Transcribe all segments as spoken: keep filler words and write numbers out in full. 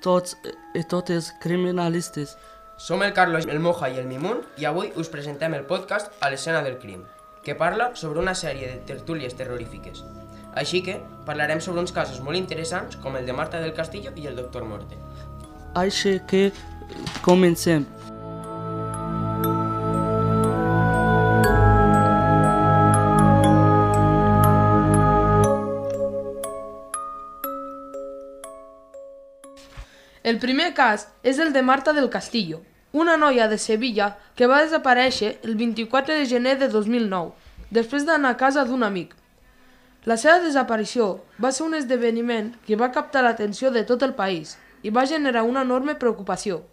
tots i totes criminalistes. Som el Carlos, el Moja i el Mimun i avui us presentem el podcast A l'escena del crim, que parla sobre una sèrie de tertúlies terrorífiques. Així que parlarem sobre uns casos molt interessants com el de Marta del Castillo i el doctor Morte. Així que comencem. El primer cas és el de Marta del Castillo, una noia de Sevilla que va desaparèixer el vint-i-quatre de gener de dos mil nou, després d'anar a casa d'un amic. La seva desaparició va ser un esdeveniment que va captar l'atenció de tot el país i va generar una enorme preocupació.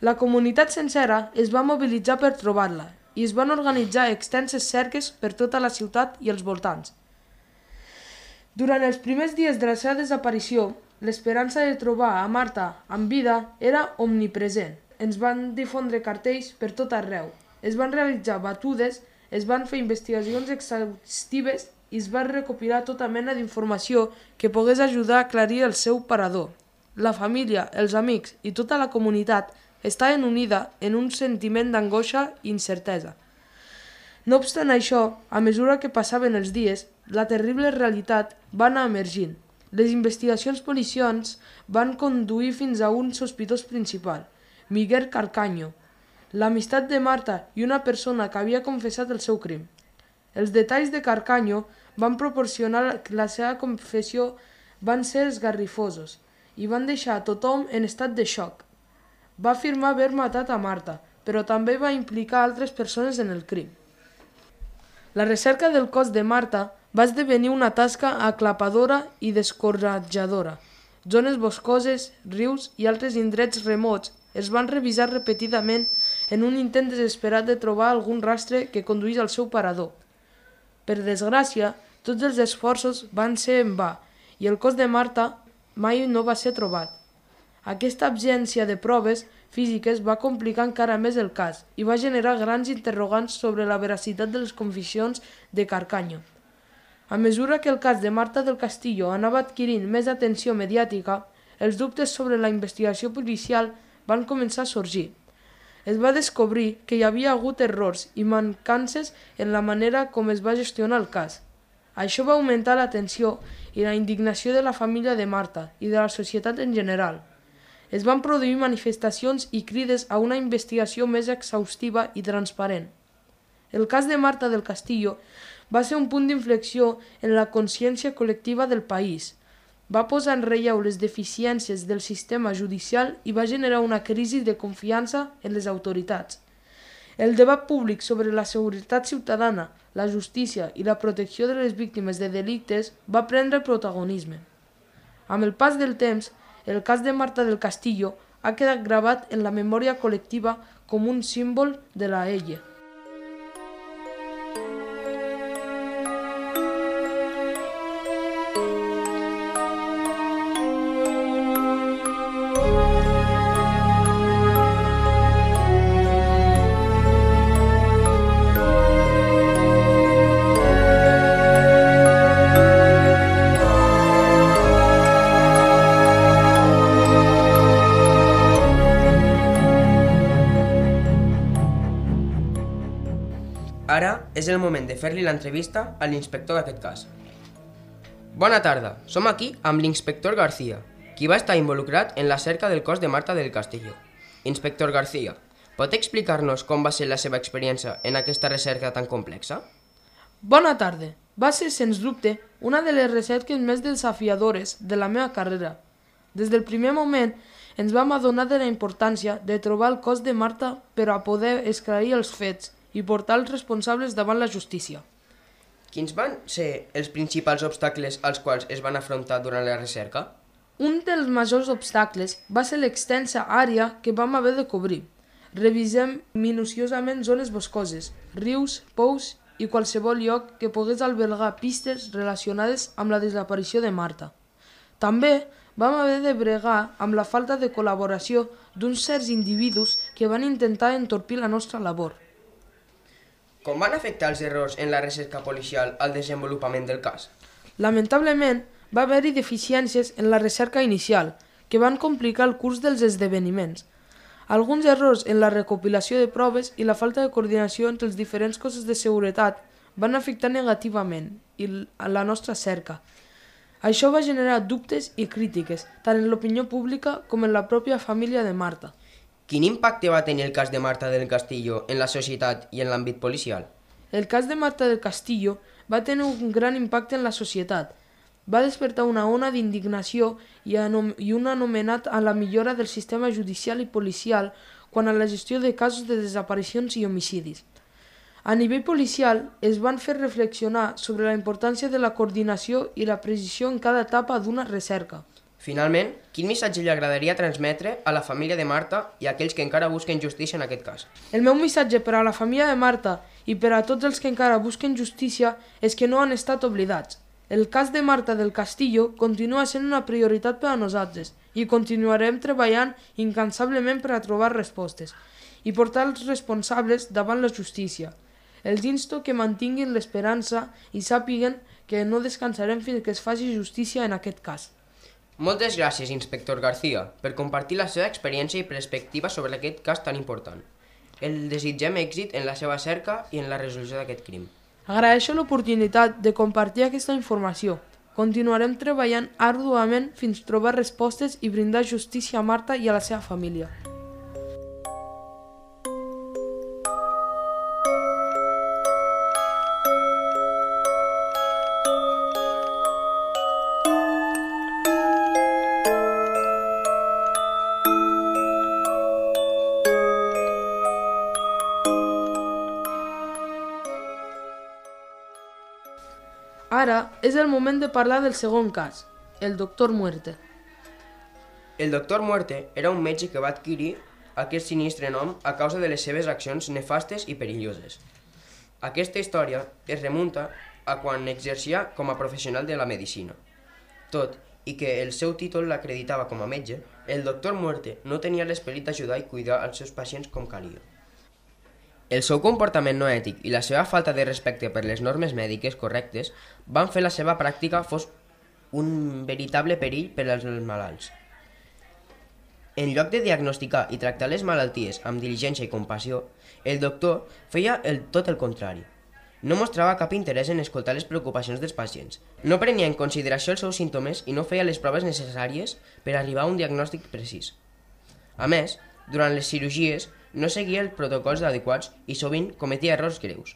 La comunitat sencera es va mobilitzar per trobar-la i es van organitzar extenses cerques per tota la ciutat i els voltants. Durant els primers dies de la seva desaparició, l'esperança de trobar a Marta amb vida era omnipresent. Ens van difondre cartells per tot arreu, es van realitzar batudes, es van fer investigacions exhaustives i es va recopilar tota mena d'informació que pogués ajudar a aclarir el seu parador. La família, els amics i tota la comunitat estaven unida en un sentiment d'angoixa i incertesa. No obstant això, a mesura que passaven els dies, la terrible realitat va anar emergint. Les investigacions policials van conduir fins a un sospitós principal, Miguel Carcaño, l'amistat de Marta i una persona que havia confessat el seu crim. Els detalls de Carcaño van proporcionar que la seva confessió van ser esgarrifosos i van deixar a tothom en estat de xoc. Va afirmar haver matat a Marta, però també va implicar altres persones en el crim. La recerca del cos de Marta va esdevenir una tasca aclapadora i descoratjadora. Zones boscoses, rius i altres indrets remots es van revisar repetidament en un intent desesperat de trobar algun rastre que conduís al seu parador. Per desgràcia, tots els esforços van ser en va i el cos de Marta mai no va ser trobat. Aquesta absència de proves físiques va complicar encara més el cas i va generar grans interrogants sobre la veracitat de les confessions de Carcaño. A mesura que el cas de Marta del Castillo anava adquirint més atenció mediàtica, els dubtes sobre la investigació policial van començar a sorgir. Es va descobrir que hi havia hagut errors i mancances en la manera com es va gestionar el cas. Això va augmentar la tensió i la indignació de la família de Marta i de la societat en general. Es van produir manifestacions i crides a una investigació més exhaustiva i transparent. El cas de Marta del Castillo va ser un punt d'inflexió en la consciència col·lectiva del país. Va posar en relleu les deficiències del sistema judicial i va generar una crisi de confiança en les autoritats. El debat públic sobre la seguretat ciutadana, la justícia i la protecció de les víctimes de delictes va prendre protagonisme. Amb el pas del temps, el cas de Marta del Castillo ha quedat gravat en la memòria col·lectiva com un símbol de la ella. Ara és el moment de fer-li l'entrevista a l'inspector d'aquest cas. Bona tarda, som aquí amb l'inspector García, qui va estar involucrat en la cerca del cos de Marta del Castillo. Inspector García, pot explicar-nos com va ser la seva experiència en aquesta recerca tan complexa? Bona tarda. Va ser, sens dubte, una de les recerques més desafiadores de la meva carrera. Des del primer moment ens vam adonar de la importància de trobar el cos de Marta per a poder esclarir els fets i portar els responsables davant la justícia. Quins van ser els principals obstacles als quals es van afrontar durant la recerca? Un dels majors obstacles va ser l'extensa àrea que vam haver de cobrir. Revisem minuciosament zones boscoses, rius, pous i qualsevol lloc que pogués albergar pistes relacionades amb la desaparició de Marta. També vam haver de bregar amb la falta de col·laboració d'uns certs individus que van intentar entorpir la nostra labor. Com van afectar els errors en la recerca policial al desenvolupament del cas? Lamentablement, va haver-hi deficiències en la recerca inicial, que van complicar el curs dels esdeveniments. Alguns errors en la recopilació de proves i la falta de coordinació entre els diferents cossos de seguretat van afectar negativament la nostra cerca. Això va generar dubtes i crítiques, tant en l'opinió pública com en la pròpia família de Marta. Quin impacte va tenir el cas de Marta del Castillo en la societat i en l'àmbit policial? El cas de Marta del Castillo va tenir un gran impacte en la societat. Va despertar una ona d'indignació i, i un anomenat a la millora del sistema judicial i policial quant a la gestió de casos de desaparicions i homicidis. A nivell policial es van fer reflexionar sobre la importància de la coordinació i la precisió en cada etapa d'una recerca. Finalment, quin missatge li agradaria transmetre a la família de Marta i a aquells que encara busquen justícia en aquest cas? El meu missatge per a la família de Marta i per a tots els que encara busquen justícia és que no han estat oblidats. El cas de Marta del Castillo continua sent una prioritat per a nosaltres i continuarem treballant incansablement per a trobar respostes i portar els responsables davant la justícia. Els insto que mantinguin l'esperança i sàpiguen que no descansarem fins que es faci justícia en aquest cas. Moltes gràcies, inspector García, per compartir la seva experiència i perspectiva sobre aquest cas tan important. El desitgem èxit en la seva cerca i en la resolució d'aquest crim. Agraeixo l'oportunitat de compartir aquesta informació. Continuarem treballant arduament fins trobar respostes i brindar justícia a Marta i a la seva família. Ara és el moment de parlar del segon cas, el doctor Muerte. El doctor Muerte era un metge que va adquirir aquest sinistre nom a causa de les seves accions nefastes i perilloses. Aquesta història es remunta a quan exercia com a professional de la medicina. Tot i que el seu títol l'acreditava com a metge, el doctor Muerte no tenia l'esperit d'ajudar i cuidar els seus pacients com calia. El seu comportament no ètic i la seva falta de respecte per les normes mèdiques correctes van fer la seva pràctica fos un veritable perill per als malalts. En lloc de diagnosticar i tractar les malalties amb diligència i compassió, el doctor feia el, tot el contrari. No mostrava cap interès en escoltar les preocupacions dels pacients, no prenia en consideració els seus símptomes i no feia les proves necessàries per arribar a un diagnòstic precís. A més, durant les cirurgies, no seguia els protocols adequats i sovint cometia errors greus.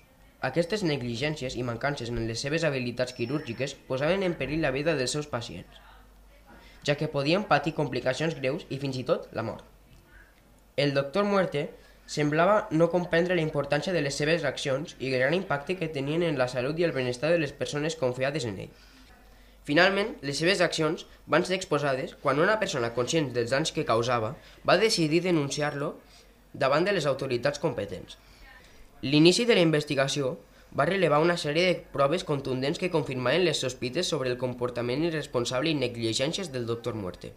Aquestes negligències i mancances en les seves habilitats quirúrgiques posaven en perill la vida dels seus pacients, ja que podien patir complicacions greus i fins i tot la mort. El doctor Muerte semblava no comprendre la importància de les seves accions i el gran impacte que tenien en la salut i el benestar de les persones confiades en ell. Finalment, les seves accions van ser exposades quan una persona conscient dels danys que causava va decidir denunciar-lo davant de les autoritats competents. L'inici de la investigació va relevar una sèrie de proves contundents que confirmaven les sospites sobre el comportament irresponsable i negligències del doctor Muerte.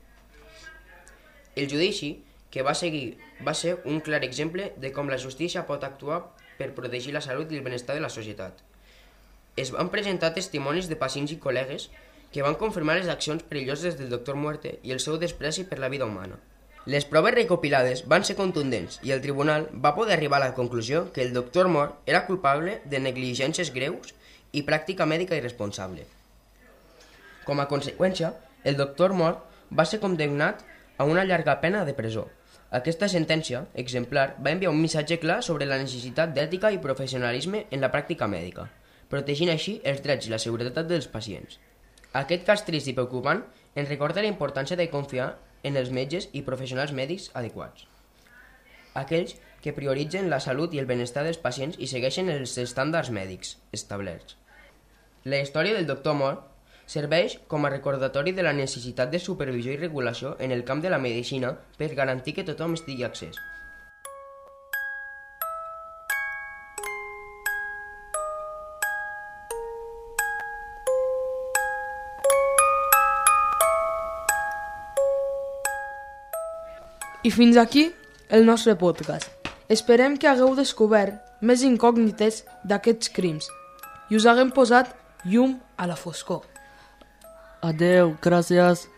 El judici que va seguir va ser un clar exemple de com la justícia pot actuar per protegir la salut i el benestar de la societat. Es van presentar testimonis de pacients i col·legues que van confirmar les accions perilloses del doctor Muerte i el seu despreci per la vida humana. Les proves recopilades van ser contundents i el tribunal va poder arribar a la conclusió que el doctor Mort era culpable de negligències greus i pràctica mèdica irresponsable. Com a conseqüència, el doctor Mort va ser condemnat a una llarga pena de presó. Aquesta sentència exemplar va enviar un missatge clar sobre la necessitat d'ètica i professionalisme en la pràctica mèdica, protegint així els drets i la seguretat dels pacients. Aquest cas trist i preocupant ens recorda la importància de confiar en els metges i professionals mèdics adequats. Aquells que prioritzen la salut i el benestar dels pacients i segueixen els estàndards mèdics establerts. La història del doctor Mort serveix com a recordatori de la necessitat de supervisió i regulació en el camp de la medicina per garantir que tothom estigui accés. I fins aquí el nostre podcast. Esperem que hagueu descobert més incògnites d'aquests crims i us haguem posat llum a la foscor. Adeu, gràcies.